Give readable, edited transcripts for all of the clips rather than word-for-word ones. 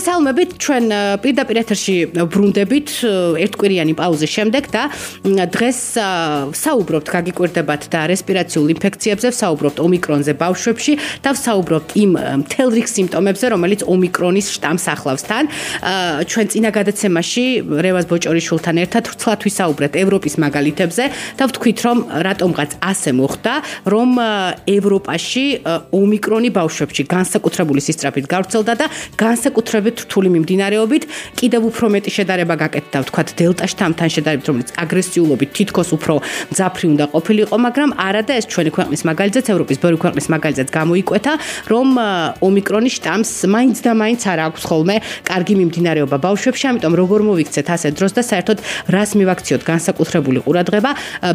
მოგესალმებით, ჩვენ პირდაპირ ეთერში ბრუნდებით ერთკვირიანი პაუზის შემდეგ და დღეს საუბრობთ გაგიკვირდებათ და რესპირაციულ ინფექციებზე, საუბრობთ ომიკრონზე ბავშვებში და საუბრობთ იმ მთელ რიგ სიმპტომებზე, რომელიც ომიკრონის შტამს ახლავს თან. ჩვენ წინა გადაცემაში რევაზ ბოჭორიშვილთან ერთად ვრცლად ვისაუბრეთ ევროპის მაგალითებზე და ვთქვით, რომ რატომღაც ასე მოხდა, რომ ევროპაში ომიკრონი ბავშვებში განსაკუთრებული სისწრაფით გავრცელდა და განსაკუთრებით რთული მიმდინარეობით კიდევ უფრო მეტი შედარება გაკეთდა, ვთქვათ, დელტა შტამთან შედარებით, რომელიც აგრესიულობით თითქოს უფრო მძაფრი უნდა ყოფილიყო, მაგრამ არა და ეს ჩვენი ქვეყნის მაგალითზეც, ევროპის ბევრი ქვეყნის მაგალითზეც გამოიკვეთა, რომ ომიკრონის შტამს მაინც და მაინც არ აქვს ხოლმე კარგი მიმდინარეობა ბავშვებში, ამიტომ როგორ მოვიქცეთ ასე დროს და საერთოდ რას მივაქციოთ განსაკუთრებული ყურადღება,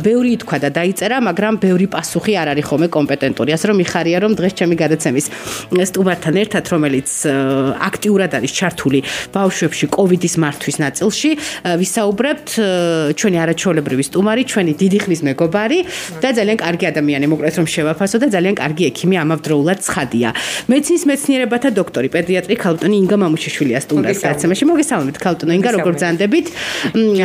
ბევრი ითქვა და დაიწერა, მაგრამ ბევრი პასუხი არ არის ხოლმე კომპეტენტური, ასე რომ მიხარია, რომ დღეს ჩემი გადაცემის სტუმართან ერთად, რომელიც აქტიურად არის ჩართული ბავშვებში კოვიდის მართვის ნაწილში, ვისაუბრებთ ჩვენი არაჩვეულებრივი სტუმარი, ჩვენი დიდი ხნის მეგობარი და ძალიან კარგი ადამიანი, მოკლედ რომ შევაფასო და ძალიან კარგი ექიმი ამავდროულად ცხადია. მეცინის მეცნიერებათა დოქტორი, პედიატრი ქალბატონი ინგა მამუშიშვილია სტუმრად გადაცემაში. მოგესალმებით ქალბატონო ინგა, როგორ ბრძანდებით?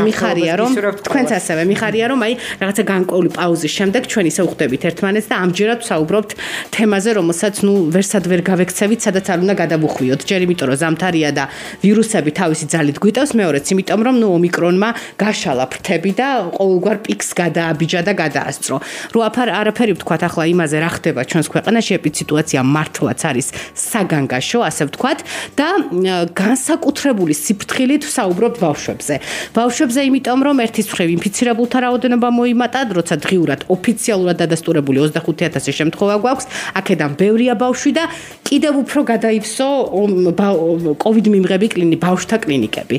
მიხარია, რომ თქვენც ასევე მიხარია, რომ აი რაღაცა განკვეული პაუზის შემდეგ ჩვენ ისე ვხვდებით ერთმანეთს და ამჯერად ვსაუბრობთ თემაზე, რომელსაც ვერსად ვერ გავექცევით, სადაც არ უნდა გადავუხვიოთ. ჯერ იმიტომ რომ ზამთარია და ვირუსები თავისი ძალით გვიტევს, მეორეც იმიტომ რომ ომიკრონმა გაშალა ფრთები და ყოველგვარ პიკს გადააბიჯა და გადაასწრო. რო არაფერი ვთქვათ ახლა იმაზე რა ხდება ჩვენს ქვეყანაში, ეპიდსიტუაცია მართლაც არის საგანგაშო, ასე ვთქვათ და განსაკუთრებული სიფრთხილით ვსაუბრობთ ბავშვებზე. ბავშვებზე იმიტომ რომ ერთის მხრივ ინფიცირებულთა რაოდენობა მოიმატა, როცა დღიურად ოფიციალურად დადასტურებული 25,000 შემთხვევა გვაქვს, აქედან ბევრია ბავშვი და კიდევ უფრო გადაივსო COVID მიმღები ბავშვთა კლინიკები.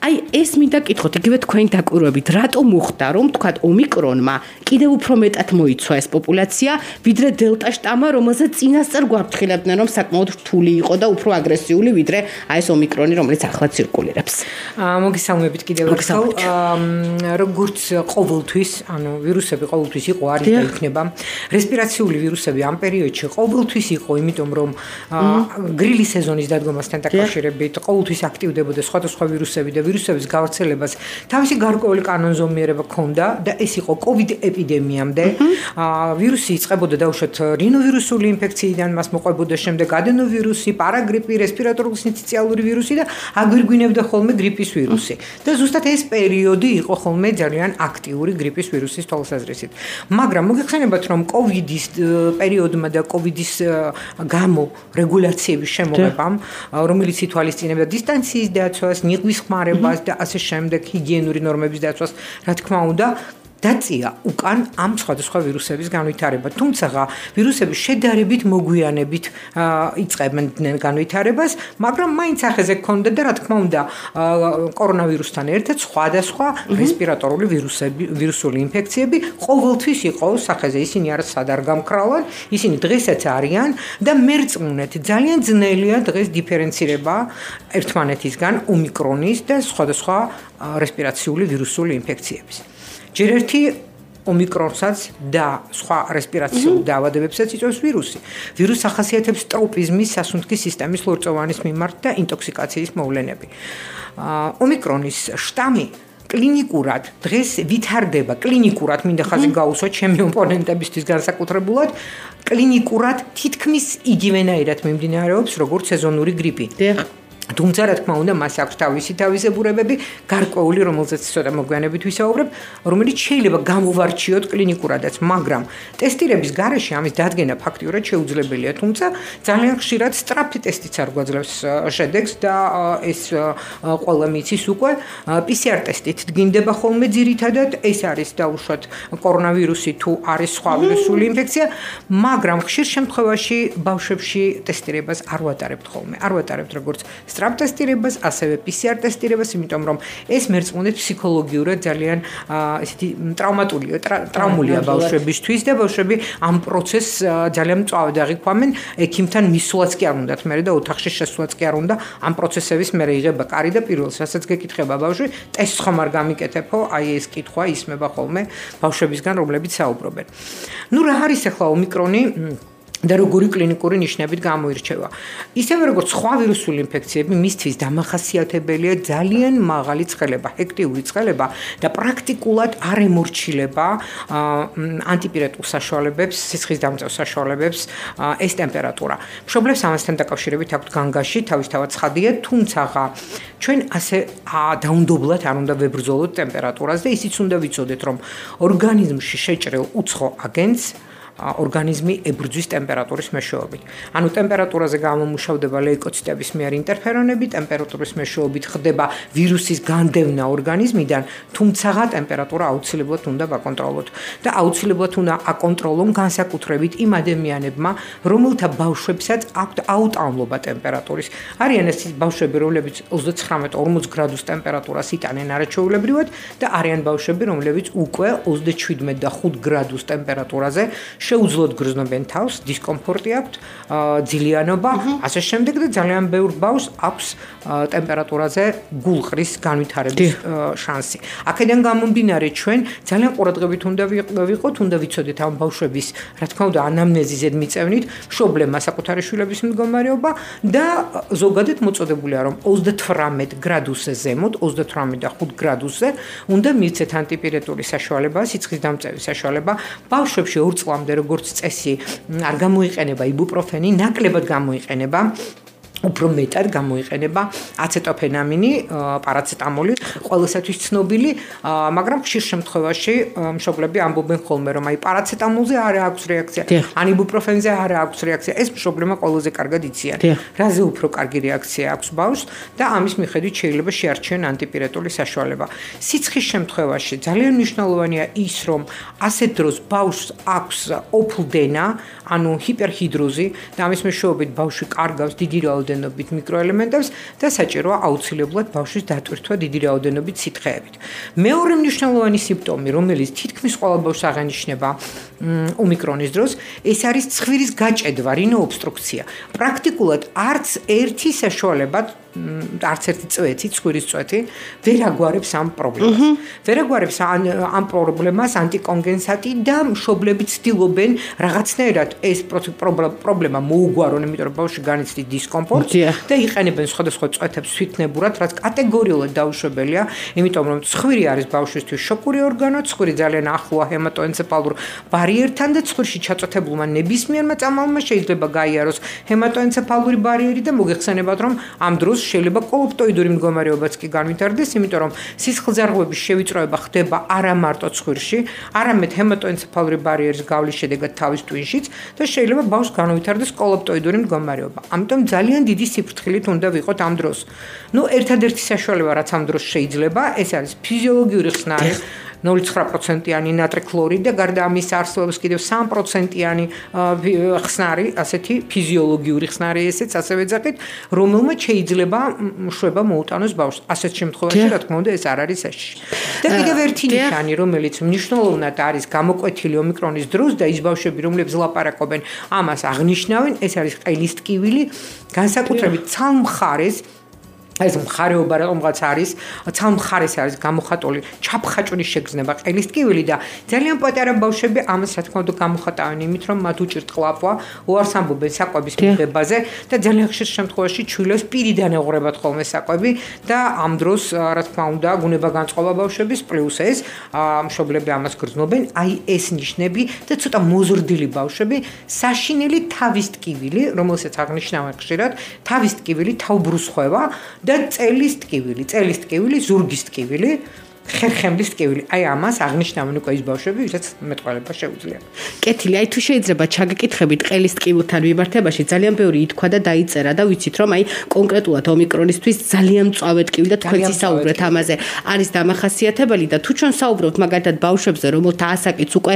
აი ეს მინდა კითხოთ, იგივე თქვენი დაკვირვებით, რატომ მოხდა, რომ თქვათ ომიკრონმა კიდევ უფრო მეტად მოიცვა ეს პოპულაცია, ვიდრე დელტა შტამმა, რომელზეც წინასწარ გვაფრთხილებდნენ, რომ საკმაოდ რთული იყო და უფრო აგრესიული, ვიდრე აი ეს ომიკრონი, რომელიც ახლა ცირკულირებს. მოგესალმებით კიდევ ერთხელ. როგორც ყოველთვის, ანუ ვირუსები ყოველთვის იყო, არის და იქნება. რესპირაციული ვირუსები ამ პერიოდში ყოველთვის იყო, იმიტომ რომ გრილი სეზონის დადგომასთან დაკავშირებით ყოველთვის აქტივდებოდა სხვადასხვა ვირუსები და ვირუსების გავრცელებას თავისი გარკვეული კანონზომიერება ჰქონდა და ეს იყო COVID ეპიდემიამდე. ვირუსი იწყებოდა დაუშვათ რინოვირუსული ინფექციიდან, მას მოყვებოდა შემდეგ ადენოვირუსი, პარაგრიპი, რესპირატორული სინციტიალური ვირუსი და აგვირგვინებდა ხოლმე გრიპის ვირუსი. და ზუსტად ეს პერიოდი იყო ხოლმე ძალიან აქტიური გრიპის ვირუსის თვალსაზრისით. მაგრამ მოგეხსენებათ, რომ COVID-ის პერიოდმა და COVID-ის გამო რეგულაციების შემოღებამ, რომელიც ითვალისწინებდა დისტანციის დაცვას, ნიღბის ხმარებას და ასე შემდეგ, ჰიგიენური ნორმების დაცვას, რა თქმა უნდა, დაწია უკან ამ სხვადასხვა ვირუსების განვითარება. თუმცა ვირუსები შედარებით მოგვიანებით იწყებდნენ განვითარებას, მაგრამ მაინც ახეზე ჰქონდა და რა თქმა უნდა, კორონავირუსთან ერთად სხვადასხვა რესპირატორული ვირუსული ინფექციები ყოველთვის იყო სახეზე. ისინი არასად არ გამქრალან, ისინი დღესაც არიან და მერწმუნეთ ძალიან ძნელია დღეს დიფერენცირება ერთმანეთისგან ომიკრონის და სხვადასხვა რესპირაციული ვირუსული ინფექციების. ჯერ ერთი ომიკრონსაც და სხვა რესპირაციულ დაავადებებსაც იწვევს ვირუსი. ვირუსს ახასიათებს ტროპიზმის, სასუნთქის სისტემის ლორწოვანის მიმართ და ინტოქსიკაციის მოვლენები. ომიკრონის შტამი კლინიკურად დღეს ვითარდება, კლინიკურად მინდა ხაზი გაუსვა ჩემი ოპონენტებისთვის განსაკუთრებულად, კლინიკურად თითქმის იგივენაირად მიმდინარეობს როგორც სეზონური გრიპი. თუმცა რა თქმა უნდა მას აქვს თავისი თავისებურებები, გარკვეული, რომელზეც ცოტა მოგვიანებით ვისაუბრებ, რომელიც შეიძლება გამოვარჩიოთ კლინიკურადაც, მაგრამ ტესტირების გარეშე ამის დადგენა ფაქტიურად შეუძლებელია, თუმცა ძალიან ხშირად სწრაფი ტესტიც არ გვაძლევს შედეგს და ეს ყველა მიცის უკვე PCR ტესტით დგინდება ხოლმე ძირითადად, ეს არის დაუშვათ კორონავირუსი თუ არის სხვა ვირუსული ინფექცია, მაგრამ ხშირ შემთხვევაში ბავშვებში ტესტირებას არ ვატარებთ ხოლმე, არ ვატარებთ როგორც სწრაფ ტესტირებას, ასევე PCR ტესტირებას, იმიტომ რომ ეს მერწმუნეთ ფსიქოლოგიურად ძალიან ესეთი ტრავმულია ბავშვებისთვის და ბავშვები ამ პროცესს ძალიან მწვავედ აღიქვამენ, ექიმთან მისვლაც კი არ უნდათ მერე და ოთახში შესვლაც კი არ უნდა ამ პროცესების მერე იღება კარი და პირველს რასაც გეკითხება ბავშვი, ტესტს ხომ არ გამიკეთებო, აი ეს კითხვა ისმება ხოლმე ბავშვებისგან, რომლებიც საუბრობენ. ნუ რა არის ახლა ომიკრონი? და როგორი კლინიკური ნიშნებით გამოირჩევა. ისევე როგორც სხვა ვირუსული ინფექციები, მისთვის დამახასიათებელია ძალიან მაღალი ცხელება, ჰექტიური ცხელება და პრაქტიკულად არ ემორჩილება ანტიპირეტულ საშუალებებს, სისხლის დამწევ საშუალებებს ეს ტემპერატურა. მშობლებს ამასთან დაკავშირებით აქვთ განგაში თავისთავად ცხადია, თუმცა ჩვენ ასე დაუნდობლად არ უნდა ვებრძოლოთ ტემპერატურას და ისიც უნდა ვიცოდეთ, რომ ორგანიზმში შეჭრილ უცხო აგენტს ორგანიზმი ებრძვის ტემპერატურის მეშვეობით. ანუ ტემპერატურაზე გამომუშავდება ლეიკოციტების მიერ ინტერფერონები, ტემპერატურის მეშვეობით ხდება ვირუსის განდევნა ორგანიზმიდან, თუმცა ტემპერატურა აუცილებლად უნდა ვაკონტროლოთ და აუცილებლად უნდა აკონტროლონ განსაკუთრებით იმ ადამიანებმა, რომელთა ბავშვებსაც აქვთ აუტანლობა ტემპერატურის. არიან ეს ბავშვები, რომლებიც 39-40 გრადუს ტემპერატურას იტანენ არაჩვეულებრივად და არიან ბავშვები, რომლებიც უკვე 37 და 5 გრადუს ტემპერატურაზე შეუძლოდ გრძნობენ თავს, დისკომფორტი აქვთ, ძილიანობა, ასე შემდეგ და ძალიან ბევრ ბავშვს აქვს ტემპერატურაზე გულყრის განვითარების შანსი. აქედან გამომდინარე ჩვენ ძალიან ყურადღებით უნდა ვიყოთ, უნდა ვიცოდეთ ამ ბავშვების, რა თქმა უნდა, ანამნეზის ზედმიწევნით, მშობლებმა საკუთარი შვილების მდგომარეობა და ზოგადად მოწოდებულია, რომ 38 გრადუსზე ზემოთ, 38 და 5 გრადუსზე უნდა მივცეთ ანტიპირეტული საშუალება, სიცხის დამწევის საშუალება. ბავშვებში 2 წლამდე როგორც წესი არ გამოიყენება იბუპროფენი, ნაკლებად გამოიყენება უფრო მეტად გამოიყენება აცეტოფენამინი, პარაცეტამოლი, ყველასათვის ცნობილი, მაგრამ ხშირ შემთხვევაში მშობლები ამბობენ ხოლმე, რომ აი პარაცეტამოლზე არ აქვს რეაქცია, ან იბუპროფენზე არ აქვს რეაქცია. ეს მშობლებმა ყველაზე კარგად იციან. რაზე უფრო კარგი რეაქცია აქვს ბავშვს და ამის მიხედვით შეიძლება შეარჩიონ ანტიპირეტული საშუალება. სიცხის შემთხვევაში ძალიან მნიშვნელოვანია ის, რომ ასეთ დროს ბავშვს აქვს ოფლდენა, ანუ ჰიპერჰიდროზი და ამის მეშვეობით ბავშვი კარგავს დიდი რაოდენობით მიკროელემენტებს და საჭიროა აუცილებლად ბავშვის დატვირთვა დიდი რაოდენობით სითხეებით. მეორე მნიშვნელოვანი სიმპტომი, რომელიც თითქმის ყველა ბავშვს აღენიშნება ომიკრონის დროს, ეს არის ცხვირის გაჭედვა, რინოობსტრუქცია. პრაქტიკულად არც ერთი საშუალება არც ერთი წვეთი, ცხვირის წვეთი ვერ აგვარებს ამ პრობლემას. ვერ აგვარებს ამ პრობლემას ანტიკონგენსატი და მშობლები ცდილობენ რაღაცნაირად ეს პრობლემა მოუგვარონ, იმიტომ რომ ბავშვი განიცდის დისკომფორტს და იყენებენ სხვადასხვა წვეთებს თვითნებურად, რაც კატეგორიულად დაუშვებელია, იმიტომ რომ ცხვირი არის ბავშვისთვის შოკური ორგანო, ცხვირი ძალიან ახლოა ჰემატოენცეფალურ ბარიერთან და ცხვირში ჩაწვეთებულმა ნებისმიერმა წამალმა შეიძლება გაიაროს ჰემატოენცეფალური ბარიერი და მოგეხსენებათ, რომ ამ დროს შეიძლება კოლოპტოიდური მდგომარეობაც კი განვითარდეს, იმიტომ რომ სისხლძარღვების შევიწროება ხდება არა მარტო ცხვირში, არამედ ჰემატოენცეფალური ბარიერის გავლის შედეგად თავის ტვინშიც და შეიძლება ბავშვს განვითარდეს კოლოპტოიდური მდგომარეობა. ამიტომ ძალიან დიდი სიფრთხილით უნდა ვიყოთ ამ დროს. ერთადერთი საშუალება, რაც ამ დროს შეიძლება, ეს არის ფიზიოლოგიური ხსნარი 0.9%-იანი ნატრიკლორიდი და გარდა ამის არსებობს კიდევ 3%-იანი ხსნარი, ასეთი ფიზიოლოგიური ხსნარი ესეც ასევე ძახით, რომელმაც შეიძლება შვება მოუტანოს ბავშვს. ასეთ შემთხვევაში, რა თქმა უნდა, ეს არ არის საშიში. და კიდევ ერთი ნიშანი, რომელიც მნიშვნელოვნად არის გამოკვეთილი ომიკრონის დროს და ის ბავშვები, რომლებიც ლაპარაკობენ, ამას აღნიშნავენ, ეს არის ყელის ტკივილი, განსაკუთრებით ცალმხარეს ეს მხარეობა რომელღაც არის, ცალმხარეს არის გამოხატული ჩაფხაჭვრის შეგრძნება ყელის ტკივილი და ძალიან პატარა ბავშვები ამას რა თქმა უნდა გამოხატავენ იმით, რომ მათ უჭირთ ყლაპვა, უარს ამბობენ საკვების მიღებაზე და ძალიან ხშირ შემთხვევაში ჩვილებს პირიდან ეღურებათ ხოლმე საკვები და ამ დროს რა თქმა უნდა გუნება განწყობა ბავშვების პლუს ეს მშობლები ამას გრძნობენ, აი ეს ნიშნები და ცოტა მოზრდილი ბავშვები, საშინელი თავის ტკივილი, რომელსაც აღნიშნავენ ხშირად, თავის ტკივილი თავბრუსხვევა და წელის ტკივილი, ზურგის ტკივილი, ხერხემლის ტკივილი. აი ამას აღნიშნავენ უკვე ის ბავშვები, ვისაც მეტყველება შეუძლია. კეთილი, აი თუ შეიძლება ჩაგეკითხებით ყელის ტკივილთან მიმართებაში, ძალიან ბევრი ითქვა და დაიწერა და ვიცით რომ აი კონკრეტულად ომიკრონისთვის ძალიან მწვავე ტკივილი და თქვენც ისაუბრეთ ამაზე არის დამახასიათებელი და თუ ჩვენ საუბრობთ მაგალითად ბავშვებზე, რომელთა ასაკიც უკვე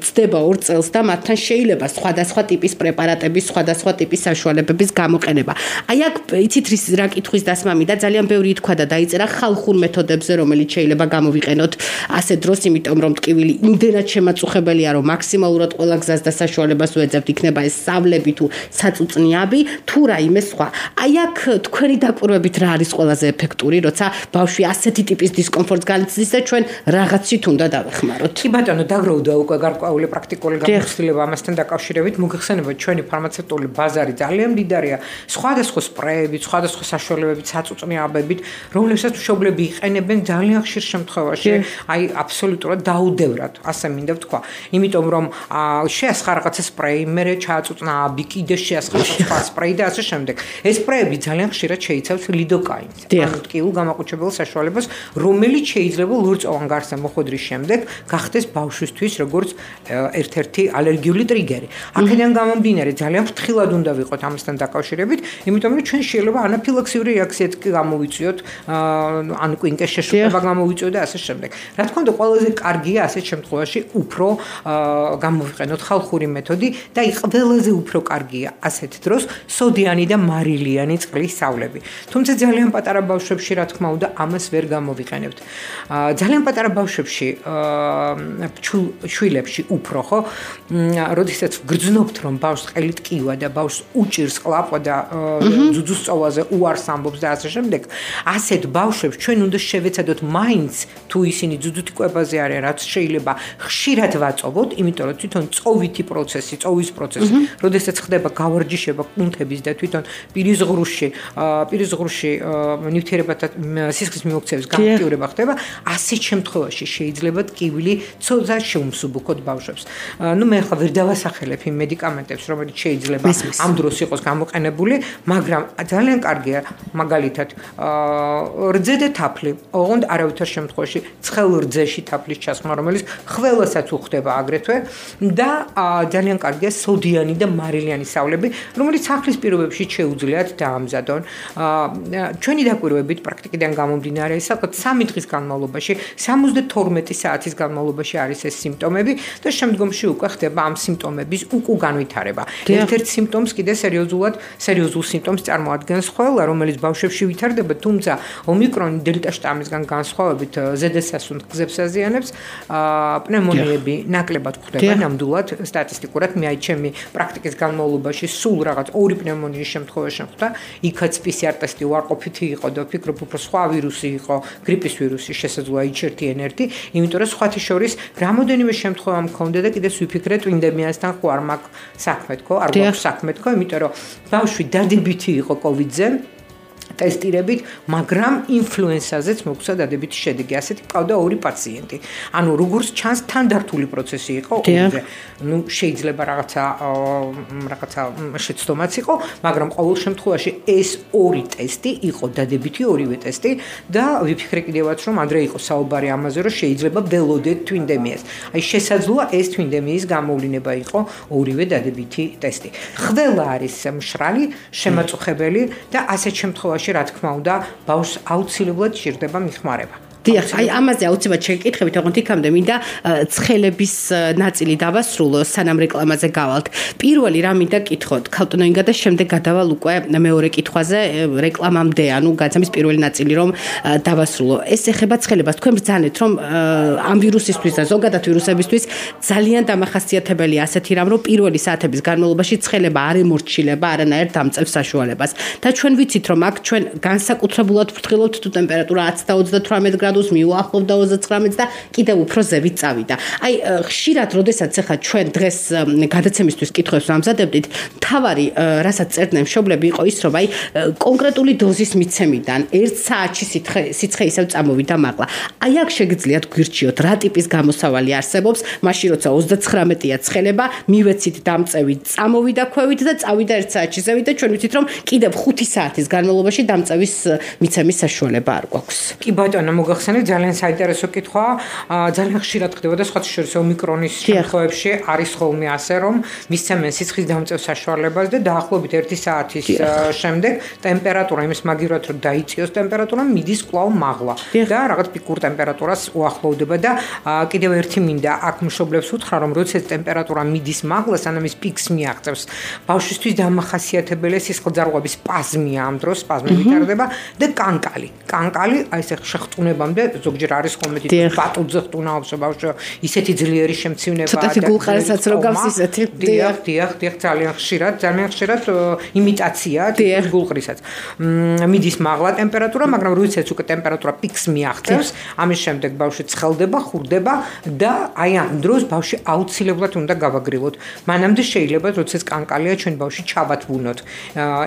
ცდება 2 წელს და მათთან შეიძლება სხვადასხვა ტიპის პრეპარატების, სხვადასხვა ტიპის საშუალებების გამოყენება. აი აქ იცით რა კითხვის დასმა მინდა, ძალიან ბევრი ითქვა და დაიწერა ხალხურ მეთოდებზე, რომელიც შეიძლება გამოვიყენოთ ასე დროს, იმიტომ რომ ტკივილი იმდენად შემაწუხებელია, რომ მაქსიმალურად ყველა გზას და საშუალებას უეძებთ, იქნება ეს სავლები თუ საწუწნიაბი, თუ რაიმე სხვა. აი აქ თქვენი დაკვირვებით რა არის ყველაზე ეფექტური, როცა ბავშვი ასეთი ტიპის დისკომფორტს განიცდის და ჩვენ რაღაცით უნდა დავეხმაროთ. კი ბატონო, დაგროვდა უკვე გარკვეული პრაქტიკული გამოცდილება ამასთან დაკავშირებით. მოგეხსენებათ, ჩვენი ფარმაცევტული ბაზარი ძალიან მდიდარია სხვადასხვა სპრეებით, სხვადასხვა საშუალებებით, საწუწნიაბებით, რომლებსაც მშობლები იყენებენ ძალიან ხშირ შემთხვევაში, აი აბსოლუტურად დაუდევრად, ასე მინდა ვთქვა. იმიტომ რომ შეასხა რაღაცა სპრეი, მერე ჩააწუწნა აბი, კიდე შეასხა სხვა სპრეი და ასე შემდეგ. ეს სპრეები ძალიან ხშირად შეიცავს ლიდოკაინს, ანუ ტკივილ გამაყუჩებელ საშუალებას, რომელიც შეიძლება ლორწოვან გარსზე მოხვედრის შემდეგ გახდეს ბავშვისთვის როგორც ერთ-ერთი ალერგიული ტრიგერი. აქედან გამომდინარე ძალიან ფრთხილად უნდა ვიყოთ ამასთან დაკავშირებით, იმიტომ რომ ჩვენ შეიძლება ანაფილაქსიური რეაქციაც გამოვიწვიოთ, ანუ კვინკეს შეშუპება გამოვიწვიოთ და ასე შემდეგ. რა თქმა უნდა, ყველაზე კარგია ასეთ შემთხვევაში უფრო გამოვიყენოთ ხალხური მეთოდი და ყველაზე უფრო კარგია ასეთ დროს სოდიანი და მარილიანი წყლის სავლები. თუმცა ძალიან პატარა ბავშვებში, რა თქმა უნდა, ამას ვერ გამოვიყენებთ. ძალიან პატარა ბავშვებში, შვილებში უფრო ხო, როდესაც გრძნობთ რომ ბავშვს ყელი ტკივა და ბავშვს უჭირს ყლაპვა და ძუძუს წოვაზე უარს ამბობს და ასე შემდეგ, ასეთ ბავშვებს ჩვენ უნდა შევეცადოთ მაინც თუ ისინი ძუძუთი კვებაზე არიან, რაც შეიძლება ხშირად ვაწოვოთ, იმიტომ რომ თვითონ წოვის პროცესი, როდესაც ხდება გავარჯიშება კუნთების და თვითონ პირის ღრუში ნივთიერებათა სისხლის მიმოქცევის გააქტიურება ხდება, ასეთ შემთხვევაში შეიძლება ტკივილი ცოტა შეუმსუბუქოთ ბავშვებს. მე ახლა ვერ დავასახელებ იმ მედიკამენტებს, რომელიც შეიძლება ამ დროს იყოს გამოყენებული, მაგრამ ძალიან კარგია მაგალითად რძე და თაფლი, ოღონდ არავითარ შემთხვევაში ცხელ რძეში თაფლის ჩასხმა, რომელიც ყველასაც უხდება აგრეთვე და ძალიან კარგია სოდიანი და მარილიანი სავლები, რომელიც სახლის პირობებში შეუძლიათ დაამზადონ. ჩვენი დაკვირვებით პრაქტიკიდან გამომდინარე, საკუთარ 3 დღის განმავლობაში, 72 საათის განმავლობაში არის ეს სიმპტომები და შემდგომში უკვე ხდება ამ სიმპტომების განვითარება. ერთ-ერთ სიმპტომს კიდე სერიოზულ სიმპტომს წარმოადგენს ხველა, რომელიც ბავშვებში ვითარდება, თუმცა ომიკრონი დელტა შტამისგან განსხვავებით ზედასასუნთ გზებს აზიანებს, პნევმონიები ნაკლებად გვხვდება ნამდვილად სტატისტიკურად. მე აი ჩემი პრაქტიკის განმავლობაში სულ რაღაც 2 პნევმონიის შემთხვევაში ხვდა, იქაც PCR ტესტი უარყოფითი იყო და ვფიქრობ უფრო სხვა ვირუსი იყო, გრიპის ვირუსი შესაძლოა იჩერთი ენერთი, იმიტომ რომ სხვათა შორის რამოდენიმე შემთხვევა მქონდა და კიდევ ვიფიქრე ტვინდემიასთან ხო არ მაქვს საქმე თქო, არ გვაქვს საქმე თქო, იმიტომ რომ ბავშვი დადებითი იყო კოვიდზე ტესტირებით, მაგრამ ინფლუენსაზეც მოგვცა დადებითი შედეგი. ასეთი ყავდა 2 პაციენტი. ანუ როგორც ჩანს, თანდართული პროცესი იყო ორივე. შეიძლება რაღაცა შეცდომაც იყო, მაგრამ ყოველ შემთხვევაში ეს 2 ტესტი იყო დადებითი, ორივე ტესტი და ვიფიქრე კიდევაც რომ ადრე იყო საუბარი ამაზე, რომ შეიძლება ველოდეთ ტვინდემიას. აი შესაძლოა ეს ტვინდემიის გამოვლინება იყო ორივე დადებითი ტესტი. ყველა არის მშრალი, შემაწუხებელი და ასეთ შემთხვევაში რა თქმა უნდა, ბავშვს აუცილებლად ჭირდება მიხმარება. დიახ, აი ამაზე აუცილებლად შეკითხებით, ოღონდ იქამდე მინდა ცხელების ნაწილი დავასრულო, სანამ რეკლამაზე გავალთ. პირველი რა მინდა კითხოთ, ქალტონინგა და შემდეგ გადავალ უკვე მეორე კითხვაზე, რეკლამამდე, ანუ გაცემის პირველი ნაწილი რომ დავასრულო. ეს ეხება ცხელებას. თქვენ ბრძანეთ, რომ ამ ვირუსისთვის და ზოგადად ვირუსებისთვის ძალიან დამახასიათებელია ასეთი რამ, რომ პირველი საათების განმავლობაში ცხელება არ ემორჩილება არანაირ დამწევ საშუალებას. და ჩვენ ვიცით, რომ აქ ჩვენ განსაკუთრებულად ფრთხილობთ თუ ტემპერატურა 10 და 38 გრადუსს მიუახლოვდა 39-ს და კიდევ უფრო ზევით წავიდა. აი ხშირად, როდესაც ახლა ჩვენ დღეს გადაცემისთვის კითხვებს ვამზადებდით, თავარი, რასაც წერდნენ მშობლები, იყო ის, რომ აი კონკრეტული დოზის მიცემიდან 1 საათში სიცხე ისევ წამოვიდა მაღლა. აი აქ შეგიძლიათ გვირჩიოთ, რა ტიპის გამოსავალი არსებობს, მაშინ როცა 39-ია ცხელება, მივეცით დამწევი, წამოვიდა ქვევით და წავიდა 1 საათში ზევით და ჩვენ ვიცით, რომ კიდევ 5 საათის განმავლობაში დამწევის მიცემის საშუალება არ გვაქვს. კი ბატონო, მოგახსენეთ, ძალიან საინტერესო კითხვაა. ძალიან ხშირად ხდება და სხვათა შორის ომიკრონის შემთხვევებში არის ხოლმე ასე, რომ მისცემენ სიცხის დამწევ საშუალებას და დაახლოებით 1 საათის შემდეგ ტემპერატურა იმის მაგივრად რომ დაიწიოს ტემპერატურა მიდის კვლავ მაღლა და რაღაც პიკურ ტემპერატურას უახლოვდება და კიდევ ერთი მინდა აქ მშობლებს უთხრა, რომ როდესაც ტემპერატურა მიდის მაღლა, სანამ ის პიკს მიაღწევს, ბავშვისთვის დამახასიათებელია სისხლძარღვების სპაზმია, ამ დროს სპაზმი ვითარდება და კანკალი, აი ეს შეღწუნებამდე დღემდე ზოგჯერ არის ხოლმე თვითონ ბატონზე ხტუნაობს ბავშვო ისეთი ძლიერი შემცირება ცოტათი გულყარასაც რო გავს ისეთი დიახ ძალიან ხშირად იმიტაცია თვითონ გულყრისაც მიდის მაღლა ტემპერატურა მაგრამ როდესაც უკვე ტემპერატურა პიკს მიაღწევს ამის შემდეგ ბავშვი ცხელდება ხურდება და აი ამ დროს ბავშვი აუცილებლად უნდა გავაგრილოთ მანამდე შეიძლება როდესაც კანკალია ჩვენ ბავშვი ჩავათბუნოთ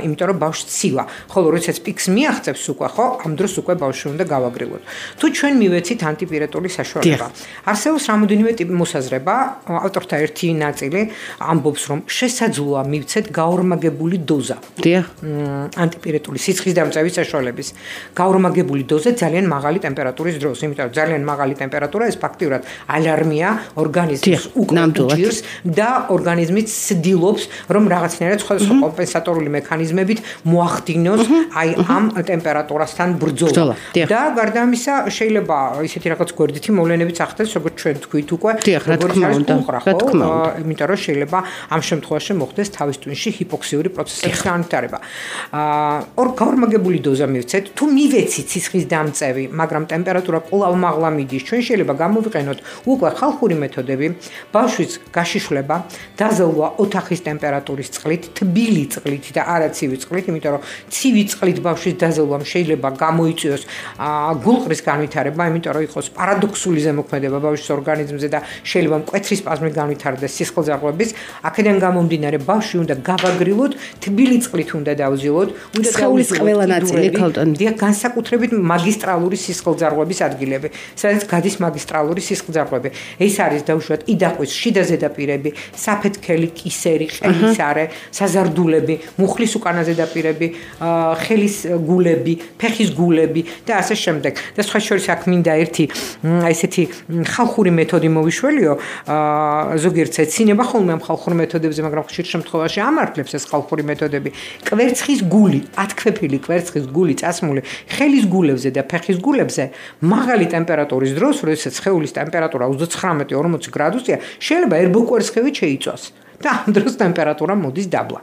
იმიტომ რომ ბავშვი ცივა ხოლო როდესაც პიკს მიაღწევს უკვე ხო ამ დროს უკვე ბავშვი უნდა გავაგრილოთ თუ ჩვენ მივეცით ანტიპირეტული საშუალება არსებობს რამოდენიმე ტიპი მოსაზრება ავტორთა ერთი ნაწილი ამბობს რომ შესაძლოა მივცეთ გაორმაგებული დოზა ანტიპირეტული სიცხის დამწევის საშუალების გაორმაგებული დოზა ძალიან მაღალი ტემპერატურის დროს იმიტომ რომ ძალიან მაღალი ტემპერატურა ეს ფაქტიურად ალარმია ორგანიზმს უჭირს და ორგანიზმი ცდილობს რომ რაღაცნაირად სხვადასხვა კომპენსატორული მექანიზმებით მოახდინოს აი ამ ტემპერატურასთან ბრძოლა და გარდა ამისა შეიძლება ისეთი რაღაც გვერდითი მოვლენებიც ახდენს როგორც ჩვენ თქვით უკვე როგორც არის კუხრა იმიტომ რომ შეიძლება ამ შემთხვევაში მოხდეს თავის ტვინში ჰიპოქსიური პროცესების განვითარება ორ გაორმაგებული დოზა მივცეთ თუ მივეცით სიცხის დამწევი მაგრამ ტემპერატურა კვლავ მაღლა მიდის ჩვენ შეიძლება გამოვიყენოთ უკვე ხალხური მეთოდები ბავშვის გაშიშვლება დაზელვა ოთახის ტემპერატურის წყლით თბილი წყლით და არა ცივი წყლით იმიტომ რომ ცივი წყლით ბავშვის დაზელვამ შეიძლება გამოიწვიოს გულყრის განვითარება იმიტომ რომ იყოს პარადოქსული ზემოქმედება ბავშვის ორგანიზმზე და შეიძლება მკვეთრი სპაზმი განვითარდეს სისხლძარღვების აქედან გამომდინარე ბავშვი უნდა გავაგრილოთ თბილი წყლით უნდა დავზილოთ უნდა სხეულის ყველა ნაწილი და განსაკუთრებით მაგისტრალური სისხლძარღვების ადგილები სადაც გადის მაგისტრალური სისხლძარღვები ეს არის დაუშვათ იდაყვის შიდა ზედაპირები საფეთქელი კისერი ყელისარე საზარდულები მუხლის უკანა ზედაპირები ხელის გულები ფეხის გულები და ასე შემდეგ და სხვა შორის აქ მინდა ერთი ესეთი ხალხური მეთოდი მოვიშველიო ზოგიერთ ეცინება ხოლმე ამ ხალხურ მეთოდებებზე მაგრამ ხშირ შემთხვევაში ამართლებს ეს ხალხური მეთოდები კვერცხის გული ათქვეფილი კვერცხის გული წასმული ხელის გულებზე და ფეხის გულებზე მაღალი ტემპერატურის დროს როდესაც სხეულის ტემპერატურა 39-40 გრადუსია შეიძლება ერბოკვერცხები შეიწვას და ამ დროს ტემპერატურა მოდის დაბლა.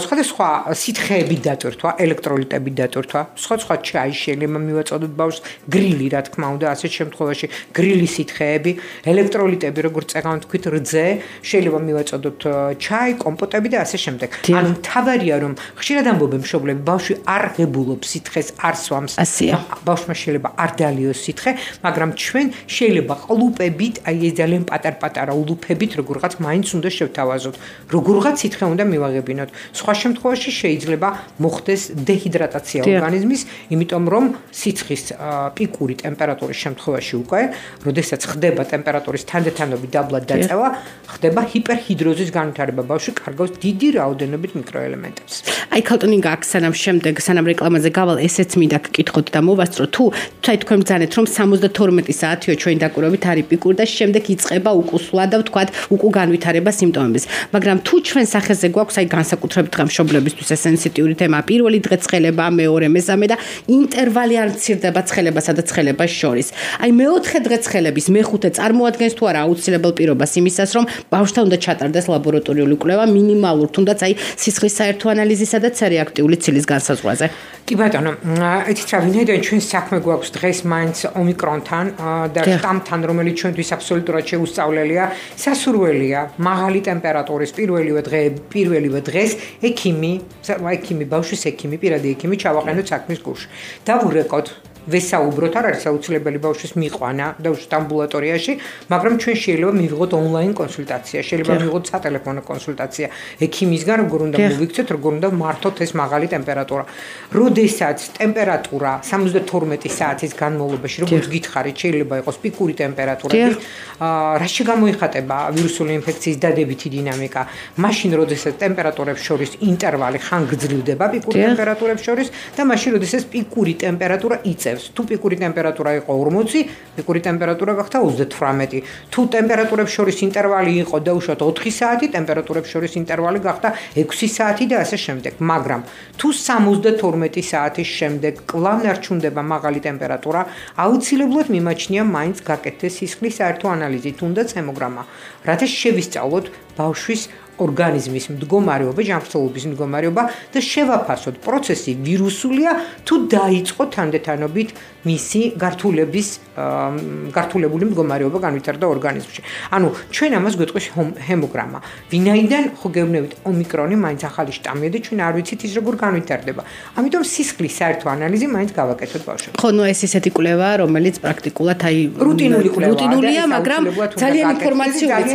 სხვადასხვა სითხეები დატვირთვა, ელექტროლიტები დატვირთვა, სხვა ჩაი შეიძლება მივაწოდოთ ბავშვს, გრილი რა თქმა უნდა, ასეთ შემთხვევაში გრილი სითხეები, ელექტროლიტები, როგორც წეგან თქვით, რძე, შეიძლება მივაწოდოთ ჩაი, კომპოტები და ასე შემდეგ. ანუ თავარია რომ ხშირად ამბობენ მშობლები, ბავშვი არ ღებულობს სითხეს, არ სვამს. ბავშვმა შეიძლება არ დალიოს სითხე, მაგრამ ჩვენ შეიძლება ყლუპებით, აი ეს ძალიან პატარ-პატარა ულუფებით როგორღაც მაინც უნდა შევთავაზოთ. როგორღაც სითხე უნდა მივაღებინოთ. სხვა შემთხვევაში შეიძლება მოხდეს დეჰიდრატაცია ორგანიზმის, იმიტომ რომ სიცხის პიკური ტემპერატურის შემთხვევაში უკვე, როდესაც ხდება ტემპერატურის თანდათანობით დაბლა დაწევა, ხდება ჰიპერჰიდროზის განვითარება. ბავშვი კარგავს დიდი რაოდენობით მიკროელემენტებს. აი ქალტონინგ აქ სანამ რეკლამაზე გავალ, ესეც მინდა გკითხოთ და მოვასწრო, თუ თქვენ ბრძანეთ რომ 72 საათიო ჩვენი დაკვირვებით არის პიკური და შემდეგ იწყება უკუსვლა და ვთქვათ უკუ განვითარება სიმპტომების. მაგრამ თუ ჩვენ სახეზე გვაქვს აი განსაკუთრებით გამშობლებისთვის ეს სენსიტიური თემა, პირველი დღე ცხელება, მეორე, მესამე და ინტერვალი არ მცირდება ცხელებასა და ცხელებას შორის. აი მეოთხე დღე ცხელების მეხუთე წარმოადგენს თუ არა აუცილებელ პირობას იმისას, რომ ბავშვთან უნდა ჩატარდეს ლაბორატორიული კვლევა მინიმალურ თუნდაც აი სისხლის საერთო ანალიზისა და C-რეაქტიული ცილის განსაზღვრაზე. კი ბატონო, ეთით რა ვინაიდან ჩვენ საქმე გვაქვს დღეს მაინც ომიკრონთან და შტამთან, რომელიც ჩვენთვის აბსოლუტურად შეუსწავლელია, სასურველია მაღალი ტემპერატურის პირველივე დღეს ექიმი ბავშვის ექიმი, პირადი ექიმი ჩავაყენოთ საქმის გულში. დავურეკოთ ვესაუბროთ, არ არის აუცილებელი ბავშვის მიყვანა ბავშვის ამბულატორიაში, მაგრამ ჩვენ შეიძლება მივიღოთ ონლაინ კონსულტაცია, შეიძლება მივიღოთ სატელეფონო კონსულტაცია ექიმისგან, როგორ უნდა მოვიქცეთ, როგორ უნდა მართოთ ეს მაღალი ტემპერატურა. როდესაც ტემპერატურა 72 საათის განმავლობაში, როგორც გითხარით, შეიძლება იყოს პიკური ტემპერატურები, რაში გამოიხატება ვირუსული ინფექციის დადებითი დინამიკა, მაშინ როდესაც ტემპერატურებს შორის ინტერვალი ხან გრძივდება პიკური ტემპერატურებს შორის და მაშინ როდესაც პიკური ტემპერატურა იწევს. თუ პიკური ტემპერატურა იყო 40, პიკური ტემპერატურა გახდა 38. თუ ტემპერატურებს შორის ინტერვალი იყო დაუშვათ 4 საათი, ტემპერატურებს შორის ინტერვალი გახდა 6 საათი და ასე შემდეგ. მაგრამ თუ 72 საათის შემდეგ კვლავ ნარჩუნდება მაღალი ტემპერატურა, აუცილებლად მიმაჩნია მაინც გაკეთდეს სისხლის საერთო ანალიზი, თუნდაც ჰემოგრამა, რათა შევისწავლოთ ბავშვის ორგანიზმის მდგომარეობა, ჯანმრთელობის მდგომარეობა და შევაფასოთ პროცესი ვირუსულია თუ დაიწყო თანდათანობით მისი გართულებული მდგომარეობა განვითარდა ორგანიზმში. ანუ ჩვენ ამას გვეტყვის ჰემოგრამა. ვინაიდან ხო გეუბნებით ომიკრონი მაინც ახალი შტამია და ჩვენ არ ვიცით ის როგორ განვითარდება. ამიტომ სისხლის საერთო ანალიზი მაინც გავაკეთოთ ბავშვებს. ხო, ნუ ეს ისეთი კვლევა, რომელიც პრაქტიკულად რუტინულია, მაგრამ ძალიან ინფორმაციულიც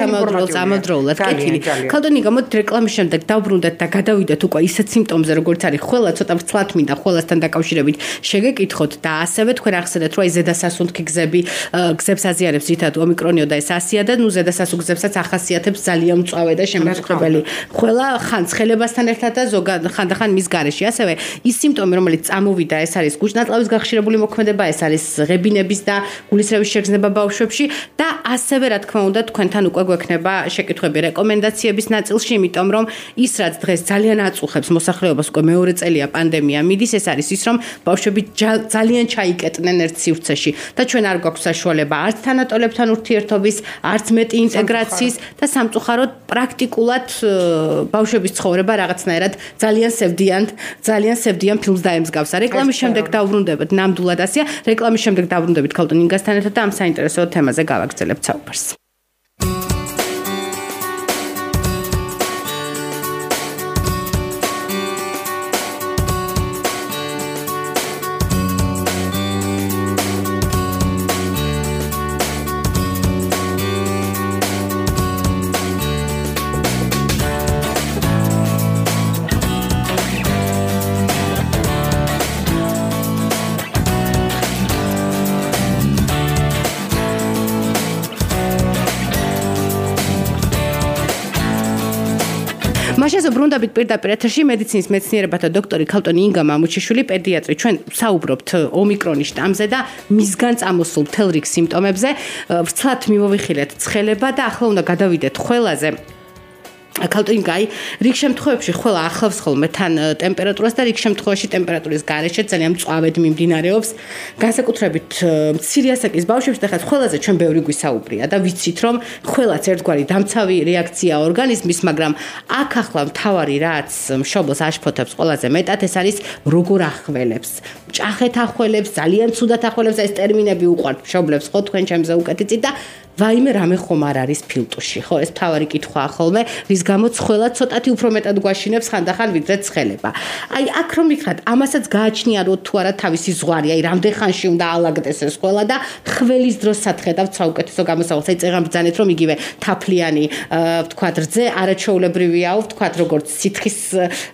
ამავდროულად კეთილი. ქალბატონი, გამოდით რეკლამის შემდეგ დავბრუნდეთ და გადავიდეთ უკვე ისეთ სიმპტომზე, როგორც არის ხველა, ცოტა ვრცლად მინდა ხველასთან დაკავშირებით შეგეკითხოთ და ასევე თქვენ ახსენეთ, რომ ზედასასუნთქი გზებს აზიანებს ძირითადად ომიკრონიო და ეს ასია და ნუ ზედასასუნთქ გზებსაც ახასიათებს ძალიან მწვავე და შემაწუხებელი ხველა ხან ცხელებასთან ერთად და ხანდახან მის გარეშე. ასევე ის სიმპტომი, რომელიც წამოვიდა, ეს არის გუჭნაწლავის გახშირებული მოქმედება, ეს არის ღებინების და გულისრევის შეგრძნება ბავშვებში და ასევე რა თქმა უნდა თქვენთან უკვე გვექნება შეკითხვები რეკომენდაციების ნაწილში, იმიტომ რომ ის რაც დღეს ძალიან აწუხებს მოსახლეობას, უკვე მეორე წელია პანდემია მიდის, ეს არის ის რომ ბავშვები ძალიან ჩაიკეტნენ ერთ სივრცეში და ჩვენ არ გვაქვს საშუალება არც თანატოლებთან ურთიერთობის, არც მეტი ინტეგრაციის და სამწუხაროდ პრაქტიკულად ბავშვების ცხოვრება რაღაცნაირად ძალიან სევდიან ფილმს დაემსგავსა. რეკლამის შემდეგ დავბრუნდებით ნამდვილად ასია. რეკლამის შემდეგ დავბრუნდებით ქალბატონ ინგასთან ერთად და ამ საინტერესო თემაზე გავაგრძელებთ საუბარს. მაშინ ბრუნდებით პირდაპირ ეთერში მედიცინის მეცნიერებათა დოქტორი ქალბატონი ინგა მამუჩიშვილი, პედიატრი. ჩვენ საუბრობთ ომიკრონის შტამზე და მისგან წამოსულ მთელ რიგ სიმპტომებზე. ვრცლად მიმოვიხილეთ ცხელება და ახლა უნდა გადავიდეთ ხველაზე. ქალბატონი ინგა, რიგ შემთხვევებში ხველა ახლავს ხოლმე თან ტემპერატურას და რიგ შემთხვევაში ტემპერატურის გარეშე ძალიან მწვავედ მიმდინარეობს. განსაკუთრებით მცირე ასაკის ბავშვებს და ხა ხველაზე ჩვენ ბევრი გვისაუბრია და ვიცით რომ ხველაც ერთგვარი დამცავი რეაქცია ორგანიზმის, მაგრამ აქ ახლა მთავარი რაც მშობელს აშფოთებს ყველაზე მეტად, ეს არის როგორ ახველებს. მჭახეთ ახველებს, ძალიან ცუდად ახველებს, ეს ტერმინები უყვართ მშობლებს, ხო თქვენ ჩემზე უკეთიცით და ვაიმე რამე ხომ არ არის ფილტუში, ხო ეს თავარი კითხვაა ხოლმე, რის გამოც ხველა ცოტათი უფრო მეტად გვაშინებს ხანდახან ვიდრე ცხელება. აი აქ რომ ვიქნათ, ამასაც გააჩნია რომ თუ არა თავისი ზღვარი, აი რამდენ ხანში უნდა ალაგდეს ეს ხველა და ხველის დროს სათხედავთ საუკეთესო გამოსავალს. აი წეღან ბრძანეთ რომ იგივე თაფლიანი ვთქვათ რძე არაჩვეულებრივიაო, ვთქვათ როგორც სითხის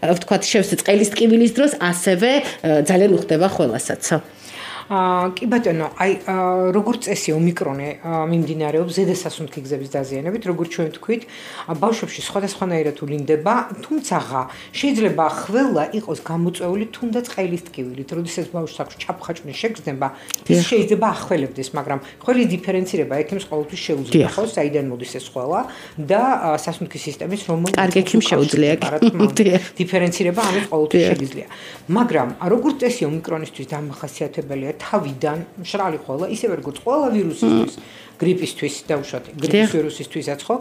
ვთქვათ შევსე წყლის ტკივილის დროს, ასევე ძალიან უხდება ხველასაც. კი ბატონო, აი როგორც წესი ომიკრონი მიმდინარეობს ზედასასუნთქი გზების დაზიანებით, როგორც ჩვენ ვთქვით, ბავშვებში სხვადასხვანაირად ვლინდება, თუმცა შეიძლება ხველა იყოს გამოწვეული თუნდაც ყელის ტკივილით. როდესაც ბავშვს აქვს ჩაფხაჭნის შეგრძნება, ის შეიძლება ახველებდეს, მაგრამ ხველის დიფერენცირება ექიმს ყოველთვის შეუძლია, ხო, საიდან მოდის ეს ხველა და სასუნთქი სისტემის რომელ კარგი ექიმს შეუძლია. დიფერენცირება ამის ყოველთვის შეგიძლია. მაგრამ როგორც წესი ომიკრონისთვის დამახასიათებელია თავიდან მშრალი ხველა, ისევე როგორც ყველა ვირუსისთვის, გრიპისთვის დაუშვათ, გრიპის ვირუსისთვისაც ხო,